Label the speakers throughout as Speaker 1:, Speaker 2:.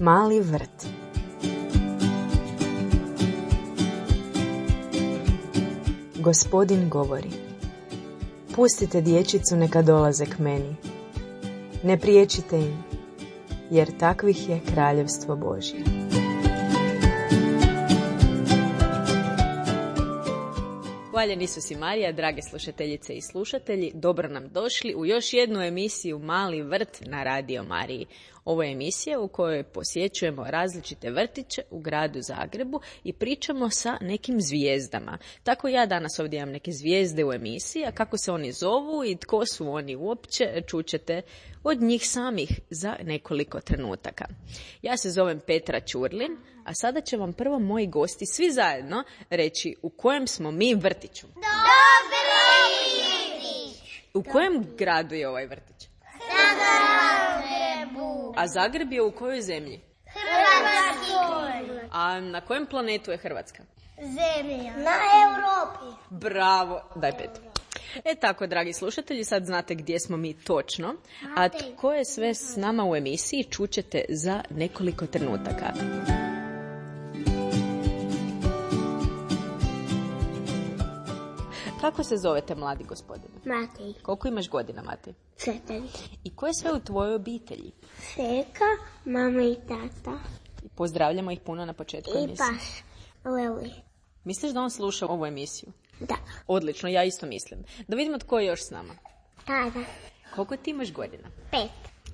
Speaker 1: Mali vrt. Gospodin govori: pustite dječicu neka dolaze k meni. Ne priječite im, jer takvih je kraljevstvo Božje. Hvaljen Isus i Marija, drage slušateljice i slušatelji, dobro nam došli u još jednu emisiju Mali vrt na Radio Mariji. Ovo je emisija u kojoj posjećujemo različite vrtiće u gradu Zagrebu i pričamo sa nekim zvijezdama. Tako ja danas ovdje imam neke zvijezde u emisiji, a kako se oni zovu i tko su oni uopće, čućete od njih samih za nekoliko trenutaka. Ja se zovem Petra Ćurlin, a sada će vam prvo moji gosti svi zajedno reći u kojem smo mi vrtiću. U kojem gradu je ovaj vrtić? Zagrebu. A Zagreb je u kojoj zemlji? Hrvatskoj. A na kojem planetu je Hrvatska?
Speaker 2: Zemlja. Na Europi.
Speaker 1: Bravo. Daj pet. Tako, dragi slušatelji, sad znate gdje smo mi točno, a tko je sve s nama u emisiji čućete za nekoliko trenutaka. Kako se zovete, mladi gospodine?
Speaker 2: Matej.
Speaker 1: Koliko imaš godina, Matej?
Speaker 2: 4.
Speaker 1: I ko je sve u tvojoj obitelji?
Speaker 2: Seka, mama i tata.
Speaker 1: Pozdravljamo ih puno na početku
Speaker 2: I
Speaker 1: emisije.
Speaker 2: Paš, Leli.
Speaker 1: Misliš da on sluša ovu emisiju?
Speaker 2: Da.
Speaker 1: Odlično, ja isto mislim. Da vidimo tko je još s nama.
Speaker 2: Tada.
Speaker 1: Koliko ti imaš godina?
Speaker 2: 5.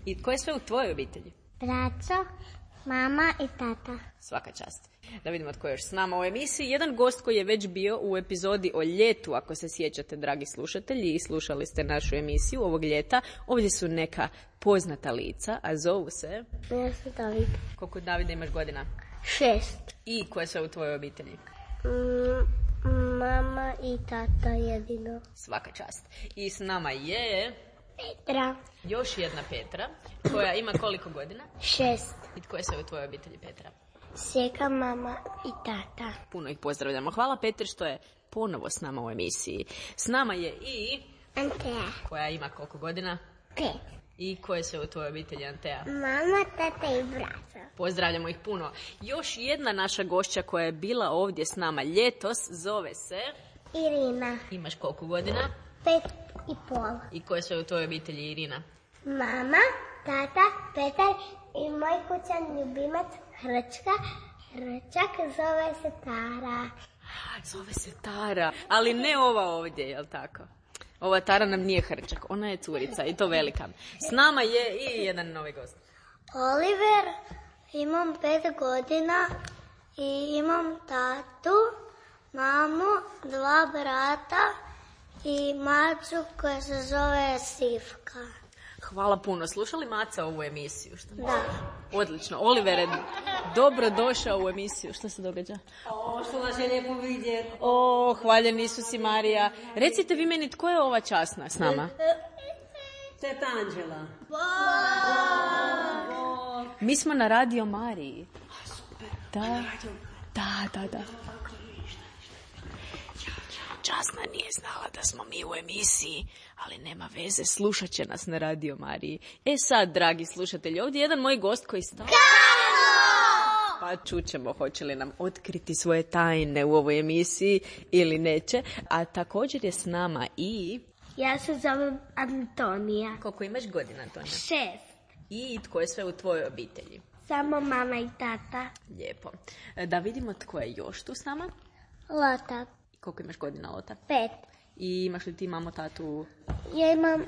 Speaker 1: I ko je sve u tvojoj obitelji?
Speaker 2: Braco, mama i tata.
Speaker 1: Svaka čast. Da vidimo tko je još s nama u emisiji. Jedan gost koji je već bio u epizodi o ljetu, ako se sjećate, dragi slušatelji, i slušali ste našu emisiju ovog ljeta. Ovdje su neka poznata lica, a zovu se...
Speaker 2: Ja sam David.
Speaker 1: Koliko, Davide, imaš godina?
Speaker 2: 6.
Speaker 1: I ko je sve u tvojoj obitelji?
Speaker 2: Mama i tata jedino.
Speaker 1: Svaka čast. I s nama je...
Speaker 2: Petra.
Speaker 1: Još jedna Petra, koja ima koliko godina?
Speaker 2: 6.
Speaker 1: I tko je sve u tvojoj obitelji, Petra?
Speaker 2: Seka, mama i tata.
Speaker 1: Puno ih pozdravljamo. Hvala, Petri, što je ponovo s nama u emisiji. S nama je i...
Speaker 2: Antea.
Speaker 1: Koja ima koliko godina?
Speaker 2: 5.
Speaker 1: I ko je sve u tvojoj obitelji, Antea?
Speaker 2: Mama, tata i braco.
Speaker 1: Pozdravljamo ih puno. Još jedna naša gošća koja je bila ovdje s nama ljetos zove se...
Speaker 2: Irina.
Speaker 1: Imaš koliko godina?
Speaker 2: 5,5.
Speaker 1: I ko je sve u tvojoj obitelji, Irina?
Speaker 2: Mama, tata, Petar i moj kućan ljubimac Hrčka. Hrčak zove se Tara.
Speaker 1: Zove se Tara, ali ne ova ovdje, jel tako? Ova Tara nam nije Hrčak, ona je curica i to velika. S nama je i jedan novi gost.
Speaker 2: Oliver, imam 5 godina i imam tatu, mamu, 2 brata i macu koja se zove Sivka.
Speaker 1: Hvala puno. Slušali Maca ovu emisiju? Što?
Speaker 2: Da.
Speaker 1: Odlično. Olivere, dobro došao u emisiju. Što se događa?
Speaker 3: Što vas je lijepo vidjeti.
Speaker 1: Hvaljen Isus i Marija. Recite vi meni, tko je ova časna s nama?
Speaker 3: Teta Anđela.
Speaker 1: Mi smo na Radio Mariji. Da. Časna nije znala da smo mi u emisiji, ali nema veze, slušat će nas na Radio Mariji. Sad, dragi slušatelji, ovdje je jedan moj gost koji stalno... Pa čućemo hoće li nam otkriti svoje tajne u ovoj emisiji ili neće. A također je s nama i...
Speaker 2: Ja se zovem Antonija.
Speaker 1: Koliko imaš godina, Antonija?
Speaker 2: 6.
Speaker 1: I tko je sve u tvojoj obitelji?
Speaker 2: Samo mama i tata.
Speaker 1: Lijepo. Da vidimo tko je još tu s nama.
Speaker 2: Lota.
Speaker 1: Koliko imaš godina, Lota?
Speaker 2: 5.
Speaker 1: I imaš li ti mamu, tatu?
Speaker 2: Ja imam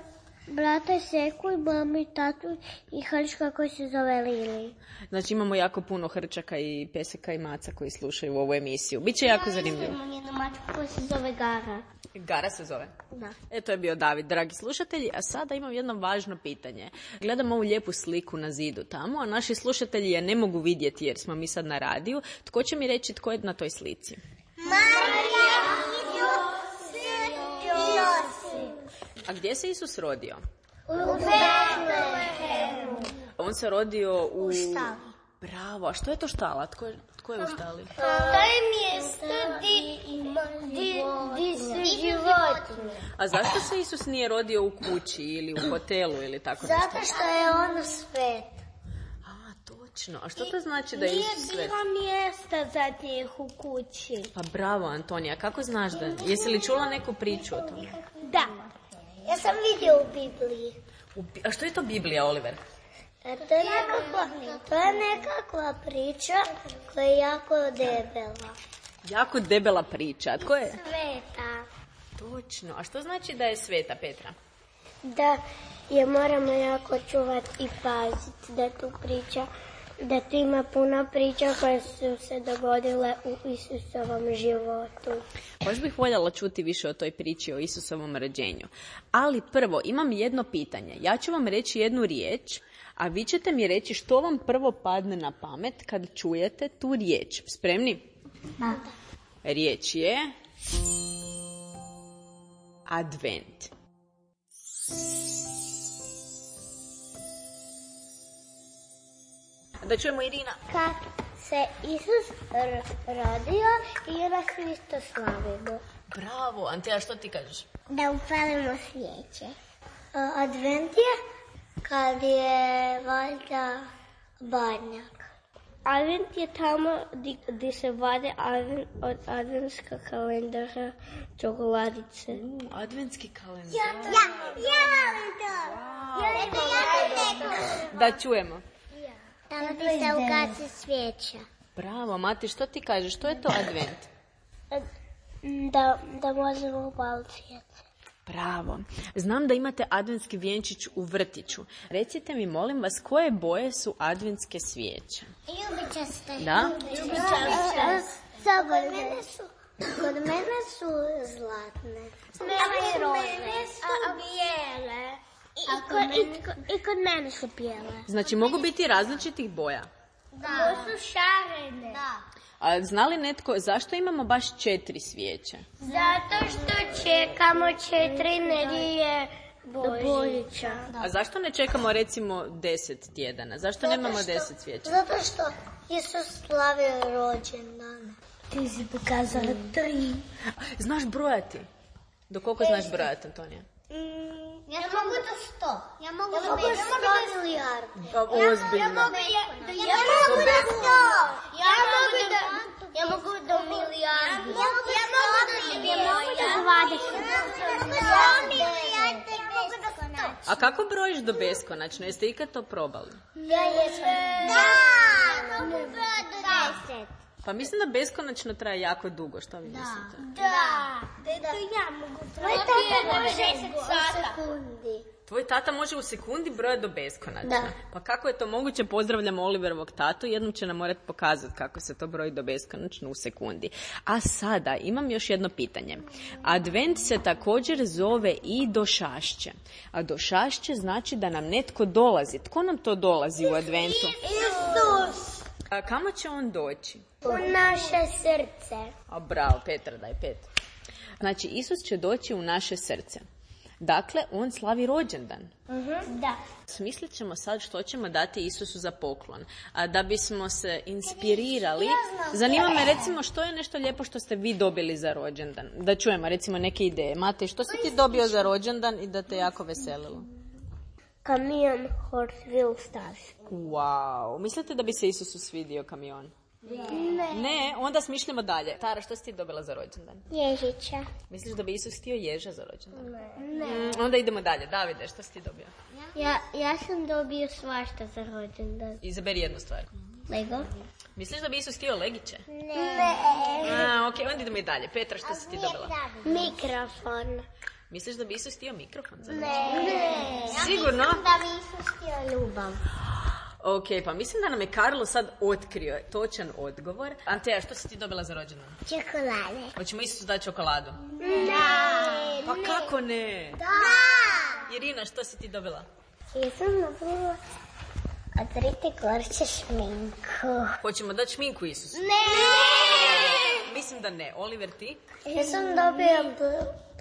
Speaker 2: brata Seku i mamu i tatu i Hrčka koji se zove Lili.
Speaker 1: Znači imamo jako puno Hrčaka i Peseka i Maca koji slušaju ovu emisiju. Biće jako zanimljivo.
Speaker 2: Imam jednu mačku koja se zove Gara.
Speaker 1: Gara se zove?
Speaker 2: Da.
Speaker 1: To je bio David, dragi slušatelji. A sada imam jedno važno pitanje. Gledam ovu lijepu sliku na zidu tamo, a naši slušatelji je ne mogu vidjeti jer smo mi sad na radiju. Tko će mi reći tko je na toj slici?
Speaker 2: Marija, Josip.
Speaker 1: A gdje se Isus rodio?
Speaker 2: U Betlehemu.
Speaker 1: On se rodio u...
Speaker 2: štali.
Speaker 1: Bravo, a što je to štala? Tko je u štali?
Speaker 2: To je mjesto di su životinje.
Speaker 1: A zašto se Isus nije rodio u kući ili u hotelu ili tako nešto?
Speaker 2: Zato što je on svet.
Speaker 1: A, to Točno, a što to znači da je Isus svet?
Speaker 2: Nije bilo mjesta za njih u kući.
Speaker 1: Pa bravo, Antonija, kako znaš da? Jesi li čula neku priču o tome?
Speaker 2: Da. Ja sam vidio u Bibliji.
Speaker 1: A što je to Biblija, Oliver?
Speaker 2: To je nekakva priča koja je jako debela.
Speaker 1: Jako debela priča. A tko je?
Speaker 2: Sveta.
Speaker 1: Točno. A što znači da je sveta, Petra?
Speaker 2: Da je moramo jako čuvati i paziti da tu priča, da tu ima puno priča koje su se dogodile u Isusovom životu.
Speaker 1: Baš bih voljela čuti više o toj priči o Isusovom rođenju. Ali prvo, imam jedno pitanje. Ja ću vam reći jednu riječ, a vi ćete mi reći što vam prvo padne na pamet kad čujete tu riječ. Spremni?
Speaker 2: Da.
Speaker 1: Riječ je Advent. Da čujemo Irina.
Speaker 2: Kad se Isus rodio i onda svi to slavimo.
Speaker 1: Bravo, Anteja, što ti kažeš?
Speaker 2: Da upalimo svijeće. Advent je kad je valjda Badnjak. Advent je tamo gdje se vade od adventska kalendara čokoladice.
Speaker 1: Adventski kalendar.
Speaker 2: Ja volim to.
Speaker 1: Da čujemo.
Speaker 2: Tamo gdje se ugasi svijeća.
Speaker 1: Bravo, Mati, što ti kažeš? Što je to Advent?
Speaker 2: Da možemo upaliti svijeće.
Speaker 1: Bravo. Znam da imate adventski vjenčić u vrtiću. Recite mi, molim vas, koje boje su adventske svijeće?
Speaker 2: Ljubičaste.
Speaker 1: Da?
Speaker 2: Kod mene su zlatne. Mene su bijele. I kod mene su bijele.
Speaker 1: Znači, mogu biti različitih boja.
Speaker 2: Da. To su šarene. Da.
Speaker 1: A zna li netko zašto imamo baš 4 svijeće?
Speaker 2: Zato što čekamo 4 nedjelje Božića.
Speaker 1: A zašto ne čekamo recimo 10 tjedana? Zašto nemamo 10 svijeća?
Speaker 2: Zato što Isus slavio rođendan. Ti si pokazala 3.
Speaker 1: Znaš brojati? Do koliko znaš brojati, Antonija?
Speaker 2: Ja mogu do 100. Ja mogu do 100 milijardi.
Speaker 1: Ozbiljno.
Speaker 2: Ja mogu do 100. Ja mogu do milijardi. Ja mogu do 20.
Speaker 1: A kako brojiš do beskonačno? Jeste ikad to probali?
Speaker 2: Da, mogu brojati do 10.
Speaker 1: Pa mislim da beskonačno traje jako dugo, što vi mislite?
Speaker 2: Da. Ja mogu brojati do 10 sekundi.
Speaker 1: Tvoj tata može u sekundi brojati do beskonačno.
Speaker 2: Da.
Speaker 1: Pa kako je to moguće? Pozdravljamo Oliverovog tatu. Jednom će nam morati pokazati kako se to broji do beskonačno u sekundi. A sada imam još jedno pitanje. Advent se također zove i došašće. A došašće znači da nam netko dolazi. Tko nam to dolazi u Adventu?
Speaker 2: Isus.
Speaker 1: A kamo će on doći?
Speaker 2: U naše srce.
Speaker 1: A bravo, Petra, daj 5. Znači, Isus će doći u naše srce. Dakle, on slavi rođendan.
Speaker 2: Da.
Speaker 1: Smislit ćemo sad što ćemo dati Isusu za poklon. A da bismo se inspirirali, zanima me recimo što je nešto lijepo što ste vi dobili za rođendan. Da čujemo recimo neke ideje. Matej, što si ti dobio za rođendan i da te jako veselilo?
Speaker 2: Kamion Hot Wheel Stars.
Speaker 1: Wow, mislite da bi se Isusu svidio kamion? Ne, onda smišljamo dalje. Tara, što si ti dobila za rođendan?
Speaker 2: Ježića.
Speaker 1: Misliš da bi Isus htio ježa za rođendan?
Speaker 2: Ne.
Speaker 1: Onda idemo dalje. Davide, što si ti dobio?
Speaker 2: Ja sam dobio svašta za rođendan.
Speaker 1: Izaberi jednu stvar.
Speaker 2: Lego?
Speaker 1: Misliš da bi Isus htio legiće?
Speaker 2: Ne.
Speaker 1: Ok, onda idemo i dalje. Petra, što si ti dobila?
Speaker 2: Mikrofon.
Speaker 1: Misliš da bi Isus htio mikrofon za rođendan?
Speaker 2: Ne.
Speaker 1: Sigurno?
Speaker 2: Da bi Isus htio ljubav.
Speaker 1: Ok, pa mislim da nam je Karlo sad otkrio točan odgovor. Anteja, što si ti dobila za rođendan?
Speaker 2: Čokolade.
Speaker 1: Hoćemo Isusu dati čokoladu?
Speaker 2: Da.
Speaker 1: Pa kako ne?
Speaker 2: Da.
Speaker 1: Irina, što si ti dobila?
Speaker 2: Ja sam dobila od Rite Korče šminku.
Speaker 1: Hoćemo dati šminku Isusu?
Speaker 2: Ne.
Speaker 1: Mislim da ne. Oliver, ti?
Speaker 2: Ja sam dobila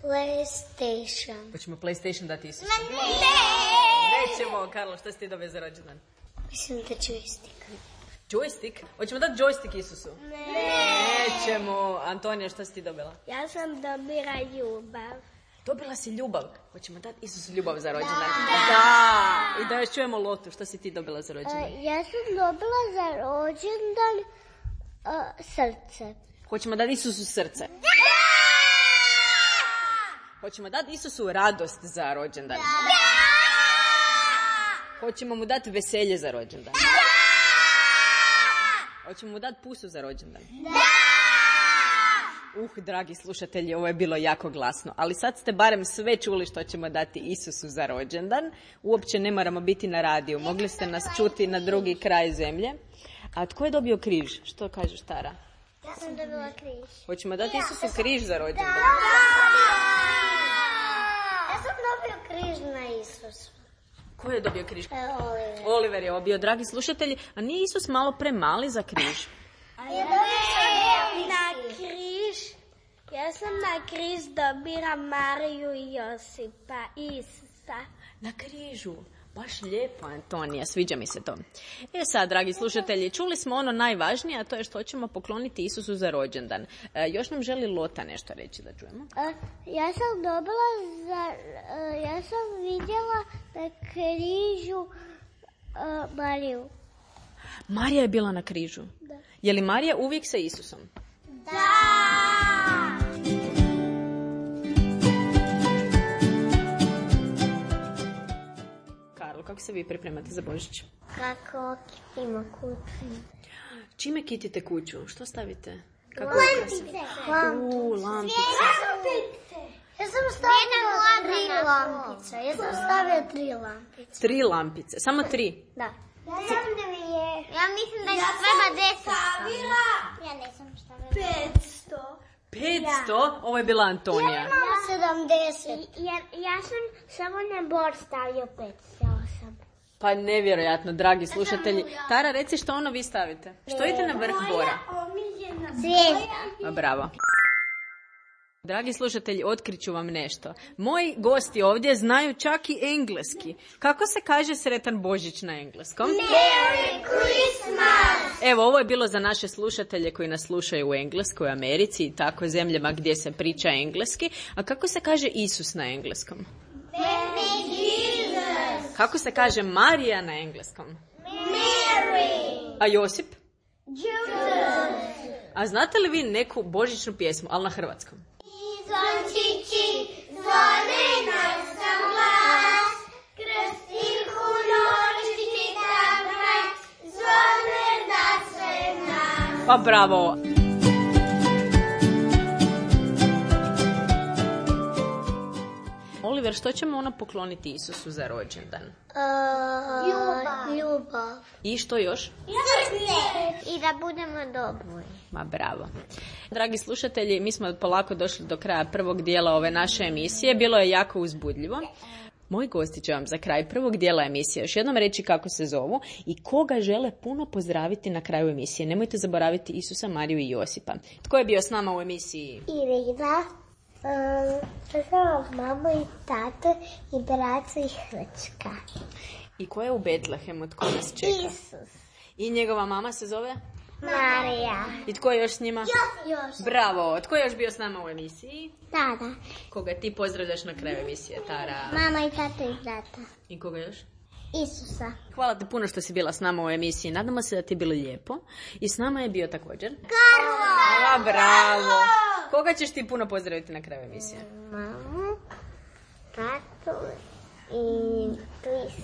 Speaker 2: PlayStation.
Speaker 1: Hoćemo PlayStation dati Isusu?
Speaker 2: Ne.
Speaker 1: Nećemo. Karlo, što si ti dobio za rođendan?
Speaker 2: Mislim da joystick.
Speaker 1: Joystick? Hoćemo dati joystick Isusu?
Speaker 2: Ne.
Speaker 1: Nećemo. Antonija, što si ti dobila?
Speaker 2: Ja sam dobila ljubav.
Speaker 1: Dobila si ljubav. Hoćemo dati Isusu ljubav za rođendan. Da! I da još čujemo Lotu. Što si ti dobila za rođendan?
Speaker 2: Ja sam dobila za rođendan srce.
Speaker 1: Hoćemo dati Isusu srce. Hoćemo dati Isusu radost za rođendan. Hoćemo mu dati veselje za rođendan. Hoćemo mu dati pusu za rođendan. Dragi slušatelji, ovo je bilo jako glasno, ali sad ste barem sve čuli što ćemo dati Isusu za rođendan. Uopće ne moramo biti na radiju, mogli ste nas čuti na drugi kraj zemlje. A tko je dobio križ? Što kažeš, Tara?
Speaker 2: Ja sam dobila križ.
Speaker 1: Hoćemo dati Isusu križ za rođendan?
Speaker 2: Ja sam dobio križ na Isusu.
Speaker 1: Ko je dobio križ?
Speaker 2: Oliver.
Speaker 1: Oliver je obio, dragi slušatelji. A nije Isus malo premali za križ?
Speaker 2: Ja sam na križ dobila Mariju i Josipa i Isusa.
Speaker 1: Na križu. Baš lijepo, Antonija, sviđa mi se to. Sad, dragi slušatelji, čuli smo ono najvažnije, a to je što ćemo pokloniti Isusu za rođendan. Još nam želi Lota nešto reći, da čujemo.
Speaker 2: Ja sam vidjela na križu Mariju.
Speaker 1: Marija je bila na križu?
Speaker 2: Da.
Speaker 1: Je li Marija uvijek sa Isusom?
Speaker 2: Da!
Speaker 1: Karlo, kako se vi pripremate za Božić?
Speaker 2: Kako kitimo kuću?
Speaker 1: Čime kitite kuću? Što stavite?
Speaker 2: Lampice.
Speaker 1: Lampice.
Speaker 2: Ja sam stavila 3 lampice.
Speaker 1: Tri lampice. Samo 3?
Speaker 2: Da. Ja mislim da je treba 10. Ja nisam stavila
Speaker 1: 500? Ovo je bila Antonija.
Speaker 2: Ja imam 70. Ja sam samo na bord stavio 500.
Speaker 1: Pa nevjerojatno, dragi slušatelji. Tara, reci što ono vi stavite. Što idete na vrh bora?
Speaker 2: Zvijezda.
Speaker 1: Bravo. Dragi slušatelji, otkriću vam nešto. Moji gosti ovdje znaju čak i engleski. Kako se kaže sretan Božić na engleskom?
Speaker 2: Merry Christmas!
Speaker 1: Evo, ovo je bilo za naše slušatelje koji nas slušaju u Engleskoj, Americi i tako zemljama gdje se priča engleski. A kako se kaže Isus na engleskom?
Speaker 2: Baby Jesus!
Speaker 1: Kako se kaže Marija na engleskom?
Speaker 2: Mary!
Speaker 1: A Josip?
Speaker 2: Judas!
Speaker 1: A znate li vi neku božićnu pjesmu, ali na hrvatskom?
Speaker 2: Zvončići, zvone na sam glas, kroz tihu noć čita kraj, zvone na sve nas.
Speaker 1: Pa bravo! Oliver, što ćemo ono pokloniti Isusu za rođendan?
Speaker 2: Ljubav.
Speaker 1: I što još?
Speaker 2: I da budemo dobri.
Speaker 1: Ma bravo. Dragi slušatelji, mi smo polako došli do kraja prvog dijela ove naše emisije. Bilo je jako uzbudljivo. Moji gosti će vam za kraj prvog dijela emisije još jednom reći kako se zovu i koga žele puno pozdraviti na kraju emisije. Nemojte zaboraviti Isusa, Mariju i Josipa. Tko je bio s nama u emisiji?
Speaker 2: Irina, mamu i tatu i bracu i Hrčka.
Speaker 1: I ko je u Betlehemu? Tko nas čeka?
Speaker 2: Isus.
Speaker 1: I njegova mama se zove?
Speaker 2: Marija.
Speaker 1: I tko je još s njima?
Speaker 2: Još.
Speaker 1: Bravo! Tko je još bio s nama u emisiji?
Speaker 2: Tada.
Speaker 1: Koga ti pozdravljaš na kraju emisije, Tara?
Speaker 2: Mama i tata i brata.
Speaker 1: I koga još?
Speaker 2: Isusa.
Speaker 1: Hvala ti puno što si bila s nama u emisiji. Nadamo se da ti je bilo lijepo. I s nama je bio također...
Speaker 2: Karlo!
Speaker 1: Bravo! Koga ćeš ti puno pozdraviti na kraju emisije?
Speaker 2: Mamu, tatu i 3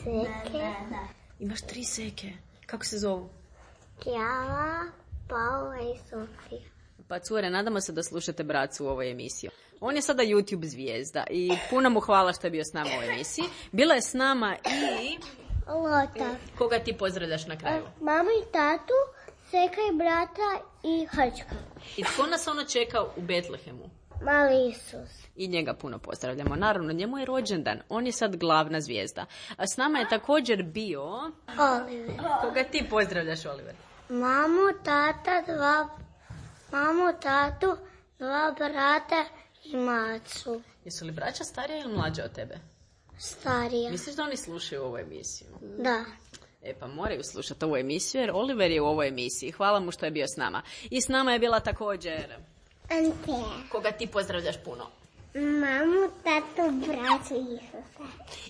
Speaker 2: seke.
Speaker 1: Imaš 3 seke. Kako se zovu?
Speaker 2: Kijala, Paula i Sofija.
Speaker 1: Pa cure, nadamo se da slušate bracu u ovoj emisiji. On je sada YouTube zvijezda i puno mu hvala što je bio s nama u emisiji. Bila je s nama i...
Speaker 2: Lota.
Speaker 1: Koga ti pozdravljaš na kraju?
Speaker 2: Mamu i tatu, seka i brata i Hrčka.
Speaker 1: I tko nas ono čeka u Betlehemu?
Speaker 2: Mali Isus.
Speaker 1: I njega puno pozdravljamo. Naravno, njemu je rođendan. On je sad glavna zvijezda. A s nama je također bio...
Speaker 2: Oliver.
Speaker 1: Koga ti pozdravljaš, Oliver?
Speaker 2: Mamu, tatu, 2 brata i macu.
Speaker 1: Jesu li braća starija ili mlađa od tebe?
Speaker 2: Starija.
Speaker 1: Misliš da oni slušaju ovu emisiju?
Speaker 2: Da.
Speaker 1: Pa moraju slušati ovu emisiju jer Oliver je u ovoj emisiji. Hvala mu što je bio s nama. I s nama je bila također...
Speaker 2: Ante.
Speaker 1: Koga ti pozdravljaš puno?
Speaker 2: Mamu, tatu, braću Isusa.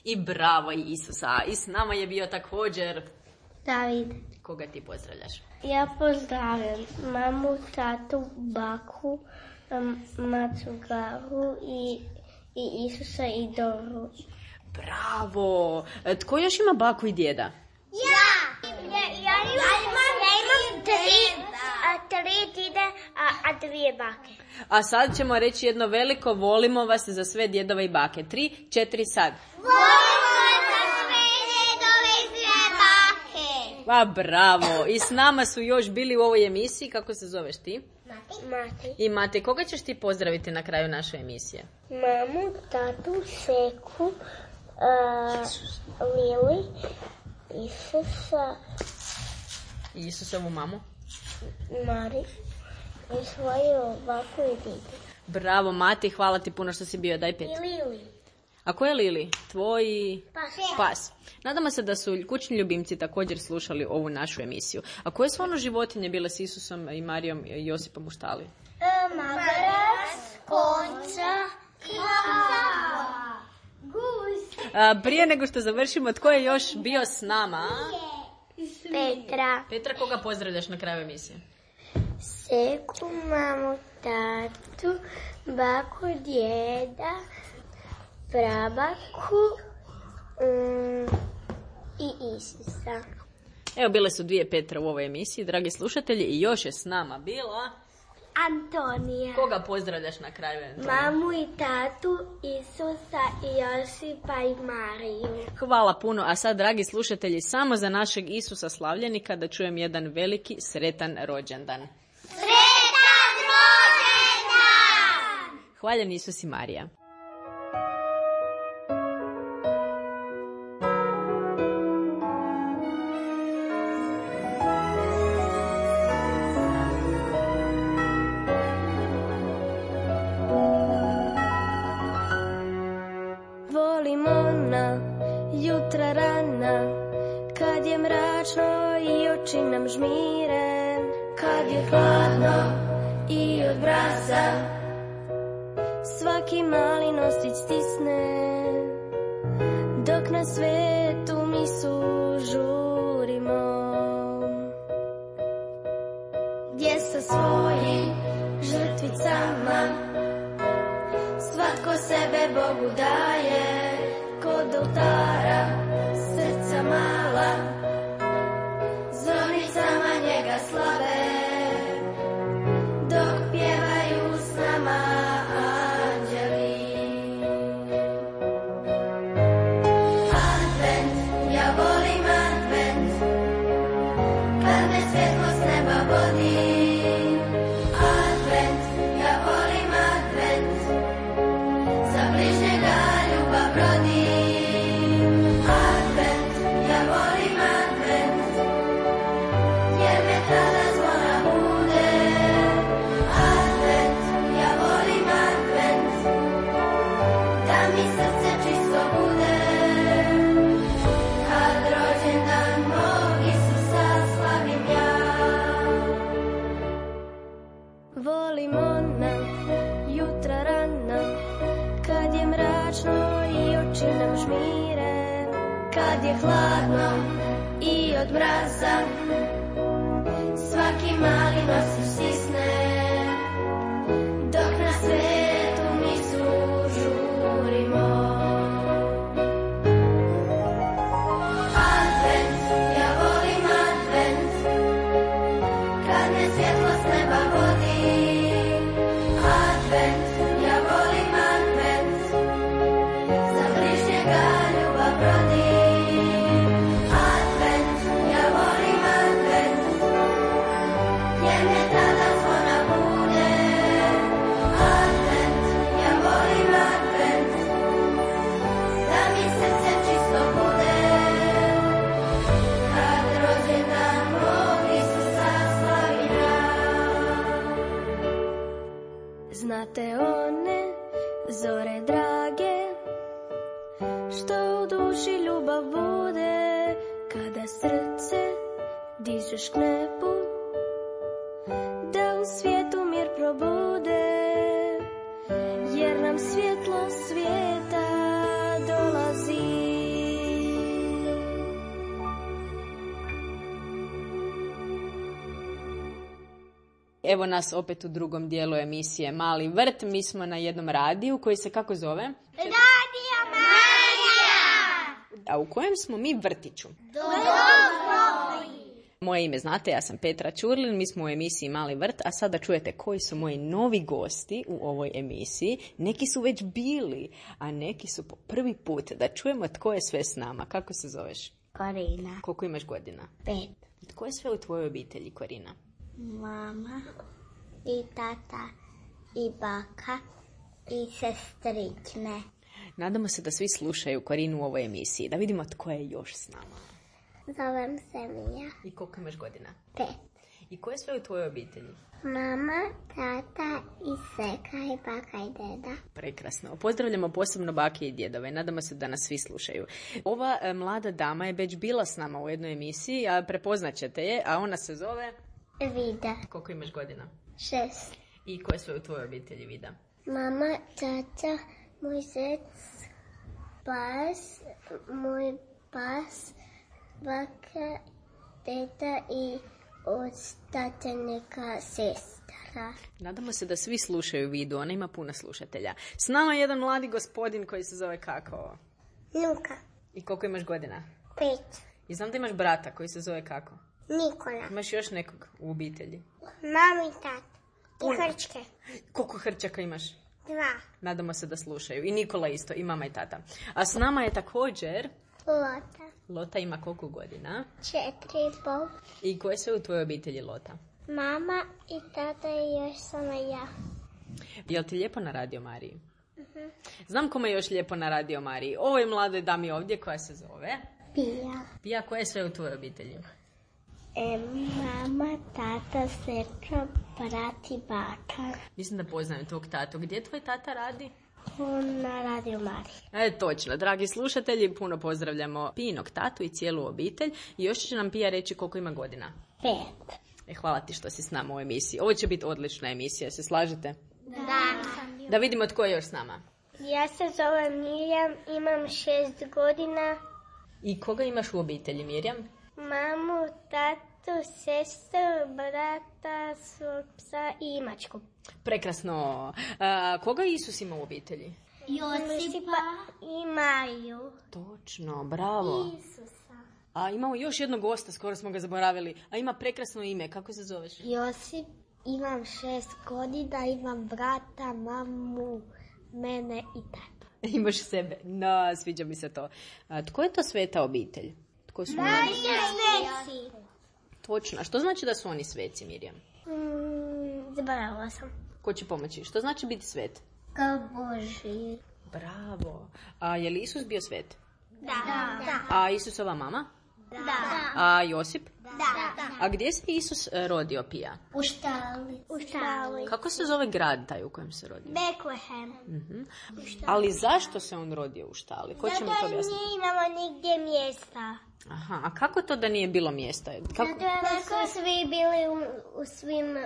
Speaker 1: I bravo Isusa. I s nama je bio također
Speaker 2: David.
Speaker 1: Koga ti pozdravljaš?
Speaker 2: Ja pozdravljam mamu, tatu, baku, macu Garu i Isusa i Doru.
Speaker 1: Bravo. Tko još ima baku i djeda?
Speaker 2: Ja imam tri djede, a dvije bake.
Speaker 1: A sad ćemo reći jedno veliko volimo vas za sve djedove i bake. 3, 4, sad.
Speaker 2: Volimo za sve djedove i sve bake.
Speaker 1: Pa bravo. I s nama su još bili u ovoj emisiji. Kako se zoveš ti?
Speaker 2: Mati.
Speaker 1: I Mate, koga ćeš ti pozdraviti na kraju naše emisije?
Speaker 2: Mamu, tatu, Seku, Lili, Isusa,
Speaker 1: I Isusovu mamu.
Speaker 2: Mari i svoju baku i didu.
Speaker 1: Bravo Mati, hvala ti puno što si bio. Daj 5.
Speaker 2: I Lili.
Speaker 1: A ko je Lili? Tvoj
Speaker 2: Pas.
Speaker 1: pas. Nadamo se da su kućni ljubimci također slušali ovu našu emisiju. A koje su ono životinje bile s Isusom i Marijom i Josipom u štali?
Speaker 2: Magarac, konca, gus.
Speaker 1: Prije nego što završimo, tko je još bio s nama?
Speaker 2: Petra.
Speaker 1: Petra, koga pozdravljaš na kraju emisije?
Speaker 2: Seku, mamu, tatu, baku, djeda, prabaku i Isusa.
Speaker 1: Evo, bile su 2 Petra u ovoj emisiji, dragi slušatelji, i još je s nama bila...
Speaker 2: Antonija.
Speaker 1: Koga pozdravljaš na kraju?
Speaker 2: Mamu i tatu, Isusa i Josipa i Mariju.
Speaker 1: Hvala puno, a sad, dragi slušatelji, samo za našeg Isusa slavljenika da čujem jedan veliki sretan rođendan.
Speaker 2: Sretan rođendan!
Speaker 1: Hvaljen Isus i Marija.
Speaker 4: Volimo na jutra rana, kad je mračno i oči nam žmire, kad je hladno i od mraza svaki mali nosić stisne, dok na svetu misu žurimo, gdje sa svojim žrtvicama svatko sebe Bogu daje, kod oltara srca mala zvonicama njega slave, dok pjevaju s nama anđeli. Advent, ja volim advent, kad me svjetlo s neba vodi. Advent, ja volim advent, za bližnjega ljubav rodi. Advent, ja volim advent, jer me tada zvona bude. Advent, ja volim advent, da mi srce čisto bude. Kad rođendan mog Isusa slavim ja. Volim ona jutra rana, kad je mračno i oči nam žmire, kad je hladno i od mraza svaki mali nosić stisne, dok na svetu misu žurimo. Advent, ja volim advent, kad me svjetlo s neba vodi. Advent, ja volim advent, za bližnjega ljubav rodi. Advent, ja volim advent, jer me tada zvona bude. Advent, ja volim advent, da mi srce čisto bude. Kad rođendan mog Isusa slavim ja. Znate one zore drage, što u duši ljubav bude, kada srce dižeš k nebu, da u svijetu mir probude, jer nam svijet
Speaker 2: svijeta dolazi.
Speaker 1: Evo nas opet u drugom dijelu emisije Mali vrt. Mi smo na jednom radiju koji se kako zove?
Speaker 2: Radio Marija!
Speaker 1: A u kojem smo mi vrtiću? Moje ime znate, ja sam Petra Ćurlin, mi smo u emisiji Mali vrt, a sada čujete koji su moji novi gosti u ovoj emisiji. Neki su već bili, a neki su po prvi put. Da čujemo tko je sve s nama. Kako se zoveš?
Speaker 2: Korina.
Speaker 1: Koliko imaš godina?
Speaker 2: 5.
Speaker 1: Tko je sve u tvojoj obitelji, Korina?
Speaker 2: Mama i tata i baka i sestrične.
Speaker 1: Nadamo se da svi slušaju Korinu u ovoj emisiji. Da vidimo tko je još s nama.
Speaker 2: Zovem se Mija.
Speaker 1: I koliko imaš godina?
Speaker 2: 5.
Speaker 1: I ko je sve u tvojoj obitelji?
Speaker 2: Mama, tata i seka i baka i deda.
Speaker 1: Prekrasno. Pozdravljamo posebno bake i djedove. Nadamo se da nas svi slušaju. Ova mlada dama je već bila s nama u jednoj emisiji, a prepoznaćete je, a ona se zove...
Speaker 2: Vida.
Speaker 1: Koliko imaš godina?
Speaker 2: 6.
Speaker 1: I ko je sve u tvojoj obitelji, Vida?
Speaker 2: Mama, tata, moj zec, pas, moj pas, baka, teta i ostate neka sestra.
Speaker 1: Nadamo se da svi slušaju Vidu, ona ima puno slušatelja. S nama je jedan mladi gospodin koji se zove kako?
Speaker 2: Luka.
Speaker 1: I koliko imaš godina?
Speaker 2: 5.
Speaker 1: I znam da imaš brata koji se zove kako?
Speaker 2: Nikola.
Speaker 1: Imaš još nekog u obitelji?
Speaker 2: Mama i tata. I hrčke.
Speaker 1: Koliko hrčaka imaš?
Speaker 2: 2.
Speaker 1: Nadamo se da slušaju. I Nikola isto, i mama i tata. A s nama je također...
Speaker 2: Lota.
Speaker 1: Lota ima koliko godina?
Speaker 2: 4,5.
Speaker 1: I ko je sve u tvojoj obitelji, Lota?
Speaker 2: Mama i tata i još samo ja.
Speaker 1: Jel ti lijepo na Radio Mariji? Znam kome je još lijepo na Radio Mariji. Ovoj mladoj dami ovdje koja se zove...
Speaker 2: Pija.
Speaker 1: Pija, ko je sve u tvojoj obitelji?
Speaker 2: Mama, tata, sestra, brat i baka.
Speaker 1: Mislim da poznajem tvog tatu. Gdje tvoj tata radi?
Speaker 2: Na Radio Mariji.
Speaker 1: Točno, dragi slušatelji, puno pozdravljamo Pijinog tatu i cijelu obitelj. I još će nam Pija reći koliko ima godina.
Speaker 2: 5.
Speaker 1: Hvala ti što si s nama u emisiji. Ovo će biti odlična emisija, se slažete?
Speaker 2: Da.
Speaker 1: Da vidimo tko je još s nama.
Speaker 2: Ja se zovem Mirjam, imam 6 godina.
Speaker 1: I koga imaš u obitelji, Mirjam?
Speaker 2: Mamu, tatu, sestru, brata, svog psa i mačku.
Speaker 1: Prekrasno. Koga Isus ima u obitelji?
Speaker 2: Josipa i Mariju.
Speaker 1: Točno, bravo.
Speaker 2: Isusa.
Speaker 1: A imamo još jednog gosta, skoro smo ga zaboravili. A ima prekrasno ime, kako se zoveš?
Speaker 2: Josip, imam 6 godina, imam brata, mamu, mene i tatu.
Speaker 1: Imaš sebe. No, sviđa mi se to. Tko je to sveta obitelj? Tko su oni?
Speaker 2: Sveci.
Speaker 1: Točno. A što znači da su oni sveci, Mirjam?
Speaker 2: Zaboravila sam.
Speaker 1: Ko će pomoći? Što znači biti svet?
Speaker 2: Kao Boži.
Speaker 1: Bravo. A je li Isus bio svet?
Speaker 2: Da.
Speaker 1: A Isusova mama?
Speaker 2: Da.
Speaker 1: A Josip?
Speaker 2: Da.
Speaker 1: A gdje se Isus rodio, Pija?
Speaker 2: U štali.
Speaker 1: Kako se zove grad taj u kojem se rodio?
Speaker 2: Beklehem.
Speaker 1: Ali zašto se on rodio u štali? Ko će mi to objasniti?
Speaker 2: Zato imamo nigdje mjesta.
Speaker 1: Aha, a kako to da nije bilo mjesta? Kako?
Speaker 2: Zato su svi bili u svim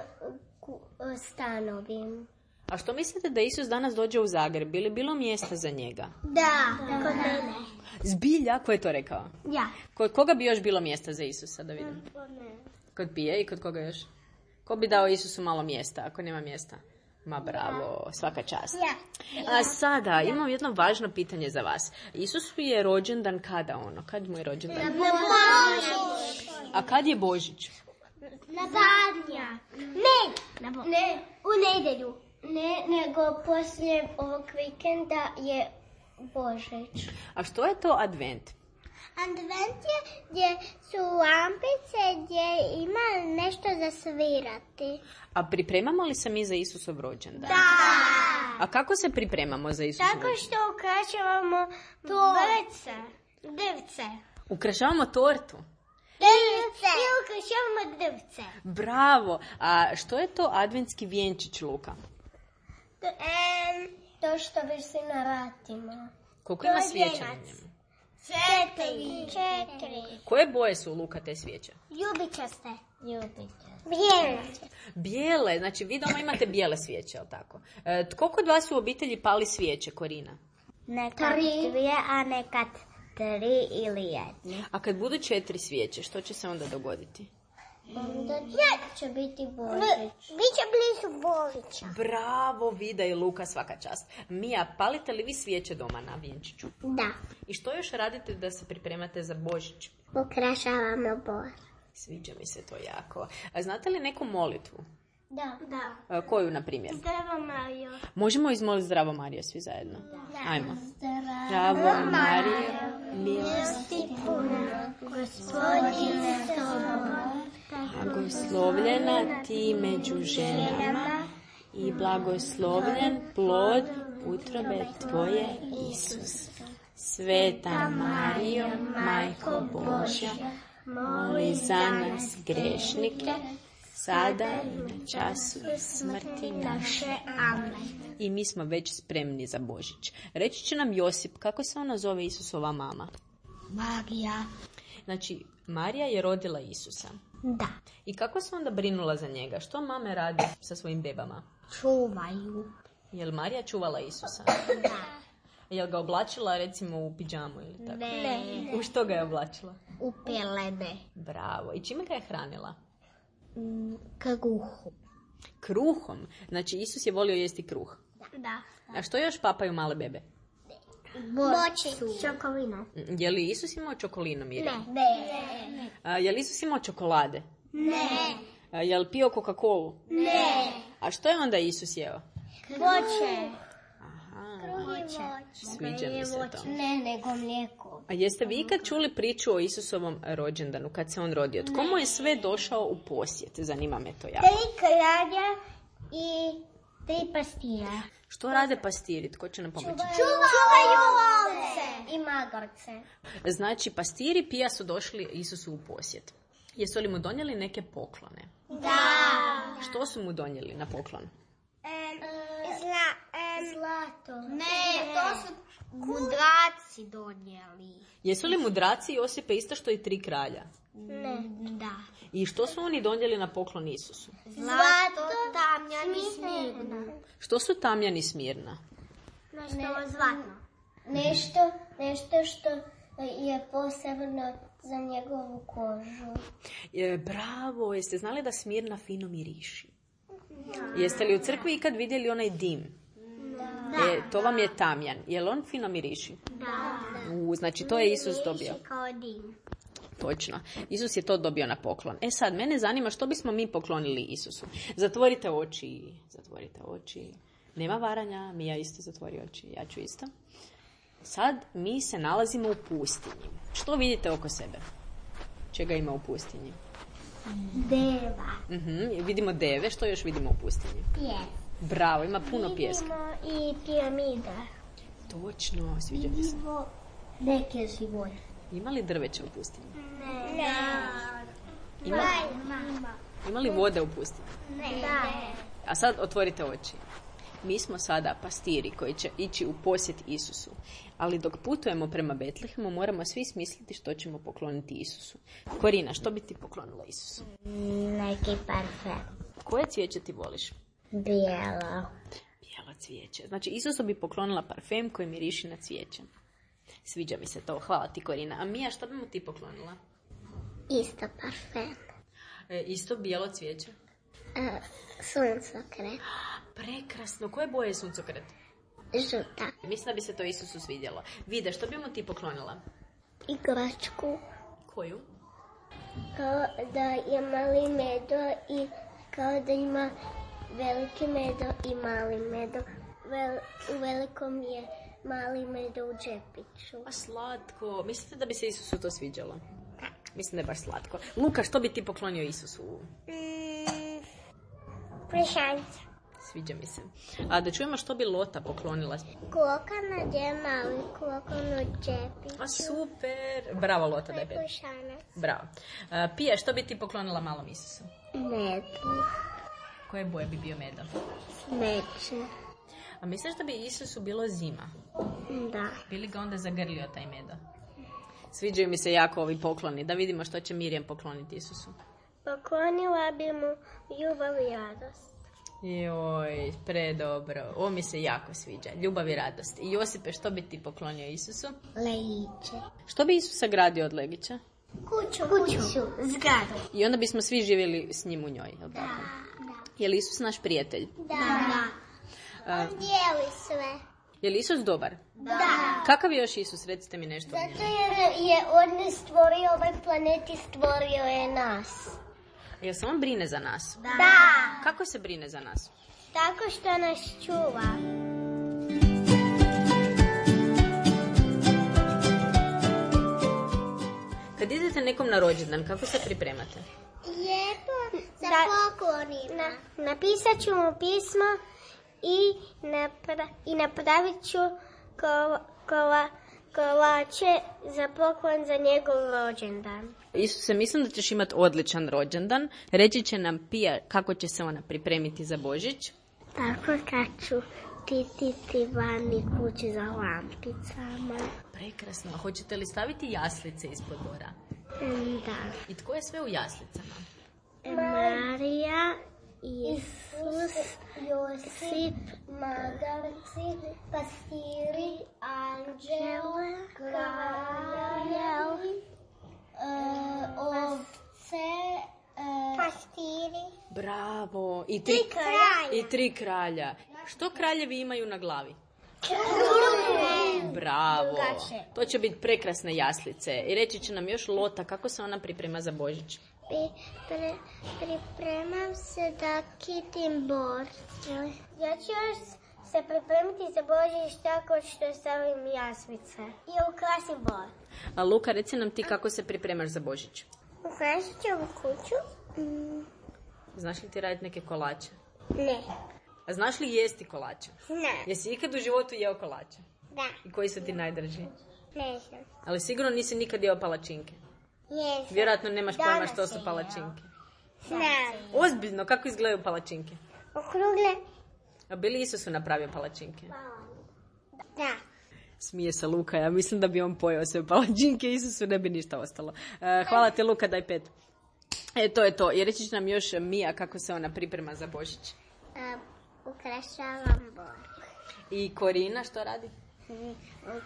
Speaker 2: stanovima.
Speaker 1: A što mislite da Isus danas dođe u Zagreb? Bi li bilo mjesta za njega?
Speaker 2: Da, kod mene.
Speaker 1: Zbilja? Ko je to rekao?
Speaker 2: Ja.
Speaker 1: Kod koga bi još bilo mjesta za Isusa, da vidim? Kod Pije i kod koga još? Ko bi dao Isusu malo mjesta, ako nema mjesta? Ma bravo, svaka čast. A sada imam jedno važno pitanje za vas. Isus je rođendan kada ono? Kad mu je rođendan?
Speaker 2: Na Božić.
Speaker 1: A kad je Božić?
Speaker 2: Na zadnja. Ne, u nedjelju. Ne, nego poslije ovog vikenda je Božić.
Speaker 1: A što je to advent?
Speaker 2: Advent je gdje su lampice, gdje ima nešto za svirati.
Speaker 1: A pripremamo li se mi za Isusov rođendan?
Speaker 2: Da.
Speaker 1: A kako se pripremamo za Isusov rođendan?
Speaker 2: Tako što ukrašavamo drvce.
Speaker 1: Ukrašavamo tortu?
Speaker 2: Drvce. I ukrašavamo drvce.
Speaker 1: Bravo. A što je to adventski vjenčić, Luka?
Speaker 2: To što visi na vratima.
Speaker 1: Koliko ima svijeća na njemu?
Speaker 2: 4.
Speaker 1: Koje boje su, Luka, te svijeće?
Speaker 2: Ljubičaste. Bijele.
Speaker 1: Bijele, znači vi doma imate bijele svijeće, jel tako? Tko kod vas u obitelji pali svijeće, Korina?
Speaker 2: Nekad 2, a nekad 3 ili 1.
Speaker 1: A kad budu 4 svijeće, što će se onda dogoditi?
Speaker 2: Onda će biti Božić. Biće blizu Božića.
Speaker 1: Bravo, Vida i Luka, svaka čast. Mija, palite li vi svijeće doma na vjenčiću?
Speaker 2: Da.
Speaker 1: I što još radite da se pripremate za Božić?
Speaker 2: Ukrašavamo bor.
Speaker 1: Sviđa mi se to jako. A znate li neku molitvu?
Speaker 2: Da.
Speaker 1: Koju, na primjer?
Speaker 2: Zdravo Mario.
Speaker 1: Možemo izmoliti Zdravo Mario svi zajedno? Ajmo. Zdravo Mario, milosti
Speaker 2: puna, Gospodin je s tobom.
Speaker 1: blagoslovljena ti među ženama i blagoslovljen plod utrobe tvoje, Isus. Sveta Marijo, Majko Božja, moli za nas grešnike, sada i na času smrti naše. Amen. I mi smo već spremni za Božić. Reći će nam Josip, kako se ona zove Isusova mama?
Speaker 2: Marija.
Speaker 1: Znači, Marija je rodila Isusa.
Speaker 2: Da.
Speaker 1: I kako se onda brinula za njega? Što mame radi sa svojim bebama?
Speaker 2: Čuvaju.
Speaker 1: Je li Marija čuvala Isusa?
Speaker 2: Da.
Speaker 1: Je li ga oblačila recimo u pidžamu ili tako?
Speaker 2: Ne.
Speaker 1: U što ga je oblačila?
Speaker 2: U pelene.
Speaker 1: Bravo. I čime ga je hranila?
Speaker 2: Kruhom.
Speaker 1: Kruhom. Znači, Isus je volio jesti kruh.
Speaker 2: Da.
Speaker 1: A što još papaju male bebe?
Speaker 2: Bočicu. Čokolina.
Speaker 1: Je li Isus imao čokolinu, Mirjam?
Speaker 2: Ne.
Speaker 1: Je li Isus imao čokolade?
Speaker 2: Ne.
Speaker 1: Je li pio Coca-Colu?
Speaker 2: Ne.
Speaker 1: A što je onda Isus jeo?
Speaker 2: Voće.
Speaker 1: Sviđa mi se to.
Speaker 2: Ne, nego mlijeko.
Speaker 1: A jeste vi ikad čuli priču o Isusovom rođendanu, kad se on rodio? Tko mu je sve došao u posjet? Zanima me to jako.
Speaker 2: 3 kralja i 3 pastira.
Speaker 1: Što rade pastiri? Tko će nam pomoći?
Speaker 2: Čuvaju ovce i magarce.
Speaker 1: Znači, pastiri Pija su došli Isusu u posjet. Jesu li mu donijeli neke poklone?
Speaker 2: Da.
Speaker 1: Što su mu donijeli na poklon?
Speaker 2: Zlato. Ne, to su mudraci donijeli.
Speaker 1: Jesu li mudraci Josipe isto što i 3 kralja?
Speaker 2: Ne. Da.
Speaker 1: I što su oni donijeli na poklon Isusu?
Speaker 2: Zlato, tamjan i smirna.
Speaker 1: Što su tamjan i smirna?
Speaker 2: Zlatno. Nešto što je posebno za njegovu kožu.
Speaker 1: Bravo, jeste znali da smirna fino miriši? Jeste li u crkvi ikad vidjeli onaj dim? To vam je tamjan. Je li on fino miriši?
Speaker 2: Da.
Speaker 1: Znači to je Isus dobio.
Speaker 2: Kao dim.
Speaker 1: Točno. Isus je to dobio na poklon. Sad, mene zanima što bismo mi poklonili Isusu. Zatvorite oči. Nema varanja, Mija isto zatvori oči, ja ću isto. Sad mi se nalazimo u pustinji. Što vidite oko sebe? Čega ima u pustinji?
Speaker 2: Deva.
Speaker 1: Vidimo deve, što još vidimo u pustinji?
Speaker 2: Pijes.
Speaker 1: Bravo, ima puno pijeska.
Speaker 2: Vidimo i piramida.
Speaker 1: Točno, sviđa mi se.
Speaker 2: Neke živoje.
Speaker 1: Ima li drveća u pustinji?
Speaker 2: Ne.
Speaker 1: Ima li vode u pustinji?
Speaker 2: Ne.
Speaker 1: A sad otvorite oči. Mi smo sada pastiri koji će ići u posjet Isusu. Ali dok putujemo prema Betlehemu, moramo svi smisliti što ćemo pokloniti Isusu. Korina, što bi ti poklonila Isusu?
Speaker 2: Neki parfem.
Speaker 1: Koje cvijeće ti voliš?
Speaker 2: Bijelo.
Speaker 1: Bijelo cvijeće. Znači, Isusu bi poklonila parfem koji miriši na cvijeće. Sviđa mi se to. Hvala ti, Korina. A Mija, što bi mu ti poklonila?
Speaker 2: Isto parfem.
Speaker 1: Isto bijelo cvijeće?
Speaker 2: Suncokret.
Speaker 1: Prekrasno. Koje boje je suncokret?
Speaker 2: Žuta.
Speaker 1: Mislim da bi se to Isusu svidjelo. Vide, što bi mu ti poklonila?
Speaker 2: Igračku.
Speaker 1: Koju?
Speaker 2: Kao da je mali medo i kao da ima veliki medo i mali medo. U velikom je mali medo u džepiću.
Speaker 1: A slatko. Mislite da bi se Isusu to sviđalo? Mislim da je baš slatko. Luka, što bi ti poklonio Isusu?
Speaker 2: Plišance.
Speaker 1: Sviđa mi se. A da čujemo što bi Lota poklonila.
Speaker 2: Klokana je mali, klokan u džepiću.
Speaker 1: A super. Bravo, Lota, da je pet.
Speaker 2: Plišanac.
Speaker 1: Bravo. Pija, što bi ti poklonila malom Isusu?
Speaker 2: Medu.
Speaker 1: Koje boje bi bio medo?
Speaker 2: Smeće.
Speaker 1: A misliš da bi Isusu bilo zima?
Speaker 2: Da.
Speaker 1: Bi li ga onda zagrlio taj medo? Sviđaju mi se jako ovi pokloni. Da vidimo što će Mirjam pokloniti Isusu.
Speaker 2: Poklonila bi mu ljubav i radost.
Speaker 1: Joj, predobro. Ovo mi se jako sviđa. Ljubav i radost. I Josipe, što bi ti poklonio Isusu?
Speaker 2: Legiće.
Speaker 1: Što bi Isus sagradio od legića?
Speaker 2: Kuću. Zgradu.
Speaker 1: I onda bismo svi živjeli s njim u njoj, je li tako? Je li Isus naš prijatelj?
Speaker 2: Da. On dijeli sve.
Speaker 1: Je li Isus dobar?
Speaker 2: Da.
Speaker 1: Kakav je još Isus? Recite mi nešto o njemu.
Speaker 2: Zato jer je on ne stvorio ovaj planet i stvorio je nas.
Speaker 1: Jel se on brine za nas?
Speaker 2: Da.
Speaker 1: Kako se brine za nas?
Speaker 2: Tako što nas čuva.
Speaker 1: Kad idete nekom na rođendan, kako se pripremate?
Speaker 2: Lijepo sa poklonima. Napisat ću mu pismo i napravit ću kolače za poklon za njegov rođendan.
Speaker 1: Isuse, mislim da ćeš imati odličan rođendan. Reći će nam Pija kako će se ona pripremiti za Božić.
Speaker 2: Tako kad ću tititi vani kuću za lampicama.
Speaker 1: Prekrasno. Hoćete li staviti jaslice ispod dvora?
Speaker 2: Da.
Speaker 1: I tko je sve u jaslicama?
Speaker 2: Marija, Isus, Josip, magarci, pastiri, anđele, kraljevi, ovce, pastiri.
Speaker 1: Bravo. I
Speaker 2: kralja.
Speaker 1: tri kralja. Što kraljevi imaju na glavi? Bravo. To će biti prekrasne jaslice. I reći će nam još Lota kako se ona priprema za Božić.
Speaker 2: Pripremam se da kitim bor. Ja ću još se pripremiti za Božić tako što stavim jaslice i ukrasim bor.
Speaker 1: A Luka, reci nam ti kako se pripremaš za Božić.
Speaker 2: Ukrasit ću kuću.
Speaker 1: Znaš li ti raditi neke kolače?
Speaker 2: Ne.
Speaker 1: A znaš li jesti kolače?
Speaker 2: Ne.
Speaker 1: Jesi ikad u životu jeo kolače?
Speaker 2: Da.
Speaker 1: I koji su ti najdrži?
Speaker 2: Ne znam.
Speaker 1: Ali sigurno nisi nikad jeo palačinke.
Speaker 2: Jesam.
Speaker 1: Vjerojatno nemaš pojma što su palačinke.
Speaker 2: Znam.
Speaker 1: Ozbiljno, kako izgledaju palačinke?
Speaker 2: Okrugle.
Speaker 1: A bi li Isus napravio palačinke?
Speaker 2: Da.
Speaker 1: Smije se Luka, ja mislim da bi on pojeo sve palačinke, Isusu ne bi ništa ostalo. Hvala ti Luka, daj 5. To je to. I reći će nam još Mija kako se ona priprema za Božić.
Speaker 2: Ukrašavam bor.
Speaker 1: I Korina što radi?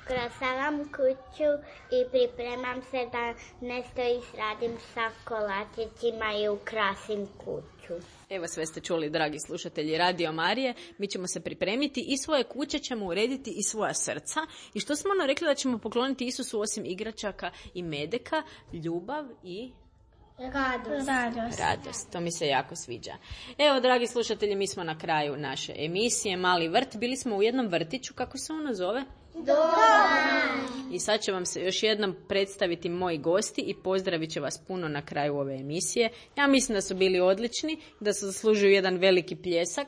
Speaker 2: Ukrašavam kuću i pripremam se da nešto izradim sa kolačićima i ukrasim kuću.
Speaker 1: Evo sve ste čuli, dragi slušatelji Radio Marije. Mi ćemo se pripremiti i svoje kuće ćemo urediti i svoja srca. I što smo ono rekli da ćemo pokloniti Isusu osim igračaka i medeka, ljubav i... Radost, to mi se jako sviđa. Evo, dragi slušatelji, mi smo na kraju naše emisije Mali vrt. Bili smo u jednom vrtiću, kako se ono zove? Dom. I sad će vam se još jednom predstaviti moji gosti i pozdravit će vas puno na kraju ove emisije. Ja mislim da su bili odlični, da su zaslužuju jedan veliki pljesak.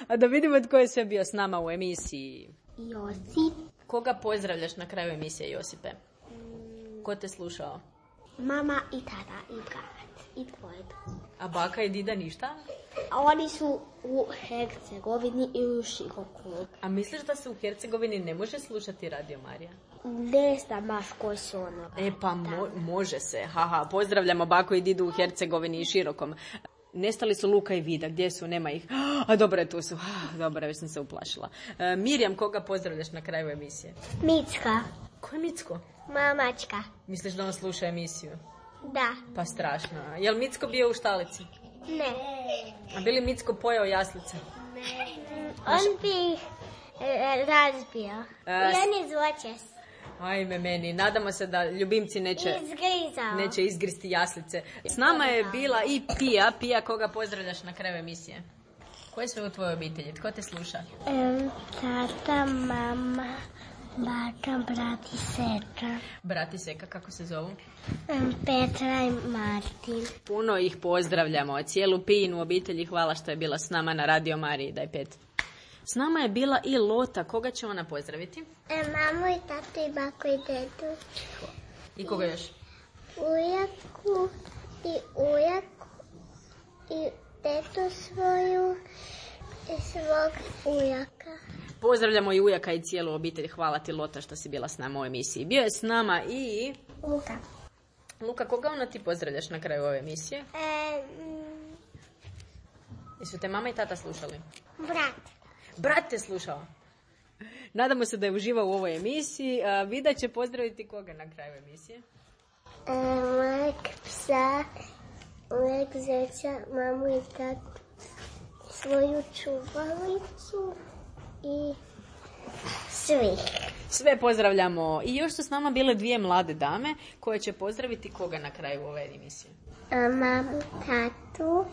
Speaker 1: A da vidimo tko je sve bio s nama u emisiji.
Speaker 2: Josip.
Speaker 1: Koga pozdravljaš na kraju emisije, Josipe? Ko te slušao?
Speaker 2: Mama i tata i brat i tvoj.
Speaker 1: A baka i dida ništa?
Speaker 2: Oni su u Hercegovini i u Široku.
Speaker 1: A misliš da se u Hercegovini ne može slušati Radio Marija?
Speaker 2: Ne znam baš koji su ono.
Speaker 1: Pa može se. Haha, pozdravljamo baku i didu u Hercegovini i Širokom. Nestali su Luka i Vida, gdje su, nema ih. A dobro je, tu su. Dobro, već sam se uplašila. Mirjam, koga pozdravljaš na kraju emisije?
Speaker 2: Micka.
Speaker 1: Ko je Micko?
Speaker 2: Mamačka.
Speaker 1: Misliš da on sluša emisiju?
Speaker 2: Da.
Speaker 1: Pa strašno. Je li Micko bio u štalici?
Speaker 2: Ne.
Speaker 1: A bi li Micko pojeo jaslice?
Speaker 2: Ne. On bi ih razbio. I on je zločest.
Speaker 1: Ajme meni, nadamo se da ljubimci neće izgristi jaslice. S nama je bila i Pija. Pija, koga pozdravljaš na kraju emisije? Ko je sve u tvojoj obitelji? Tko te sluša?
Speaker 2: Tata, mama, baka, brat i seka.
Speaker 1: Brat i seka, kako se zovu?
Speaker 2: Petra i Martin.
Speaker 1: Puno ih pozdravljamo. Cijelu Pijinu obitelji, hvala što je bila s nama na Radio Mariji. Daj 5. S nama je bila i Lota. Koga će ona pozdraviti?
Speaker 2: Mamu i tatu i baku i dedu.
Speaker 1: I koga još?
Speaker 2: Ujaku i tetu svoju i svog ujaka.
Speaker 1: Pozdravljamo i ujaka i cijelu obitelj. Hvala ti, Lota, što si bila s nama u emisiji. Bio je s nama i... Luka, koga ona ti pozdravljaš na kraju ove emisije? Jesu te mama i tata slušali? Brat te slušao. Nadamo se da je uživao u ovoj emisiji. Vida će pozdraviti koga na kraju emisije?
Speaker 2: Mojeg psa, mojeg zeća, mamu i tatu, svoju čuvalicu i sve
Speaker 1: pozdravljamo. I još su s nama bile 2 mlade dame koje će pozdraviti koga na kraju ove emisije?
Speaker 2: Mamu, tatu,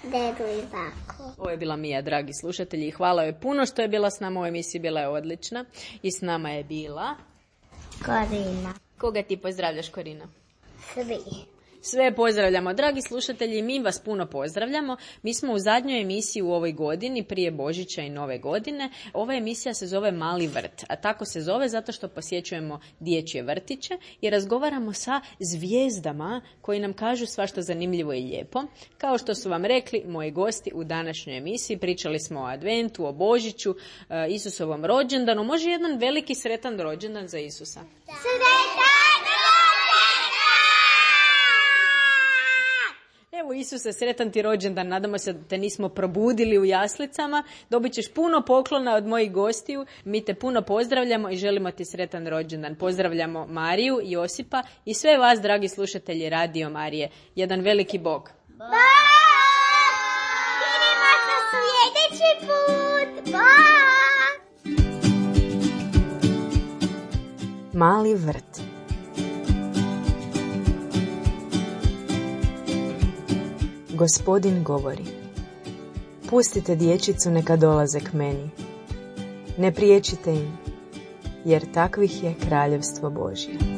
Speaker 2: dedu i baku.
Speaker 1: Ovo je bila Mija, dragi slušatelji. Hvala joj puno što je bila s nama u emisiji. Bila je odlična. I s nama je bila...
Speaker 2: Korina.
Speaker 1: Koga ti pozdravljaš, Korina?
Speaker 2: Sve
Speaker 1: pozdravljamo. Dragi slušatelji, mi vas puno pozdravljamo. Mi smo u zadnjoj emisiji u ovoj godini, prije Božića i Nove godine. Ova emisija se zove Mali vrt, a tako se zove zato što posjećujemo dječje vrtiće i razgovaramo sa zvijezdama koji nam kažu svašta zanimljivo i lijepo. Kao što su vam rekli moji gosti u današnjoj emisiji, pričali smo o Adventu, o Božiću, Isusovom rođendanu. Može jedan veliki sretan rođendan za Isusa? Evo Isuse, sretan ti rođendan, nadamo se da te nismo probudili u jaslicama, dobit ćeš puno poklona od mojih gostiju, mi te puno pozdravljamo i želimo ti sretan rođendan. Pozdravljamo Mariju, Josipa i sve vas, dragi slušatelji Radio Marije. Jedan veliki Bog.
Speaker 2: Bog! Vidimo se sljedeći put! Bog!
Speaker 1: Mali vrt. Gospodin govori: pustite dječicu neka dolaze k meni. Ne priječite im, jer takvih je kraljevstvo Božje.